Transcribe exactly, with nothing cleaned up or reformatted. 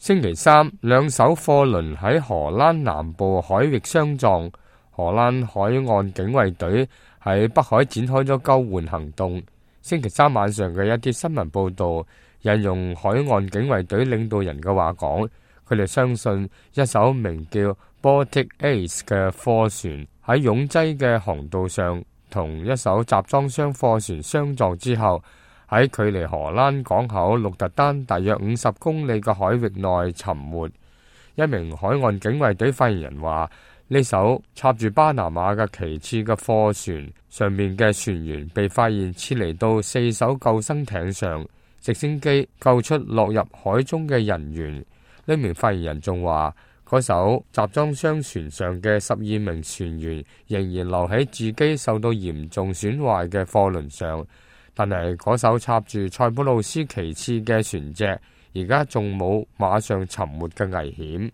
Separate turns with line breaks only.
星期三，兩艘貨輪喺荷蘭南部海域相撞，荷蘭海岸警衛隊喺北海展開咗救援行動。星期三晚上嘅一啲新聞報道引用海岸警衛隊領導人嘅話講，佢哋相信一艘名叫 Baltic Ace 嘅貨船喺擁擠嘅航道上同一艘集裝箱貨船相撞之後，喺距離荷蘭港口鹿特丹大約五十公里嘅海域內沉沒。一名海岸警衛隊發言人話，呢艘插住巴拿馬嘅旗幟嘅貨船上面嘅船員被發現撤離到四艘救生艇上，直升機救出落入海中嘅人員。呢名發言人仲話，嗰艘集裝箱船上嘅十二名船員仍然留喺自己受到嚴重損壞嘅貨輪上，但係嗰艘插住塞浦路斯旗幟嘅船隻而家仲冇馬上沉沒嘅危險。